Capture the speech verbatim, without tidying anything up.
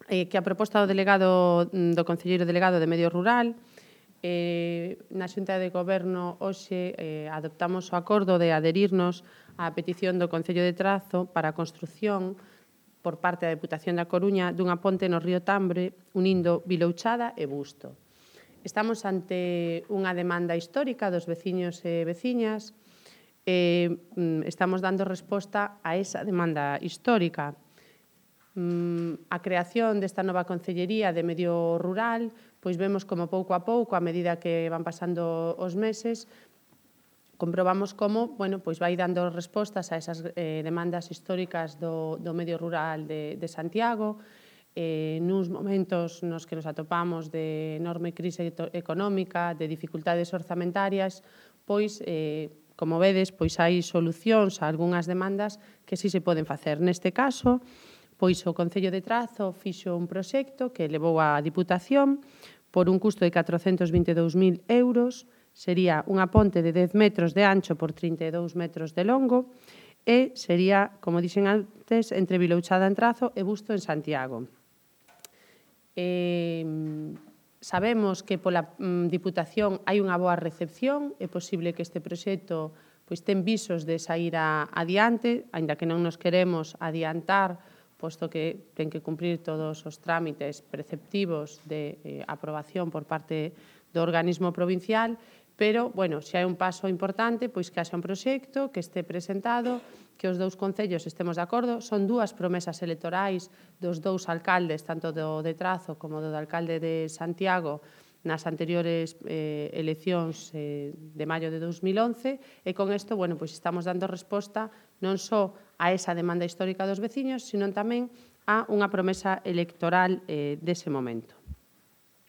eh, que a proposta do delegado do concelleiro delegado de Medio Rural, eh, na Xunta de Goberno hoxe eh, adoptamos o acordo de adherirnos á petición do Concello de Trazo para a construción por parte da Deputación da Coruña dunha ponte no río Tambre unindo Vilouchada e Busto. Estamos ante unha demanda histórica dos veciños e veciñas e estamos dando resposta a esa demanda histórica. A creación desta nova Concellería de Medio Rural, pois vemos como pouco a pouco, a medida que van pasando os meses, comprobamos como, bueno, pois vai dando respostas a esas eh, demandas históricas do, do medio rural de, de Santiago, eh, nuns momentos nos que nos atopamos de enorme crise económica, de dificultades orzamentarias, pois, eh, como vedes, pois hai solucións a algunhas demandas que sí se poden facer. Neste caso, pois o Concello de Trazo fixo un proxecto que levou á Diputación por un custo de catrocentos vinte e dous mil euros, sería unha ponte de dez metros de ancho por trinta e dous metros de longo e sería, como dixen antes, entre Vilouchada en Trazo e Busto en Santiago. Eh, sabemos que pola mm, Diputación hai unha boa recepción, é posible que este proxecto pois, ten visos de sair a, adiante, aínda que non nos queremos adiantar, posto que ten que cumprir todos os trámites preceptivos de eh, aprobación por parte do organismo provincial, pero, bueno, se hai un paso importante, pois que haxa un proxecto, que este presentado, que os dous concellos estemos de acordo. Son dúas promesas electorais dos dous alcaldes, tanto do de Trazo como do alcalde de Santiago, nas anteriores eh, eleccións eh, de maio de dos mil once, e con isto, bueno, pois estamos dando resposta non só a esa demanda histórica dos veciños, sino tamén a unha promesa electoral eh, dese momento.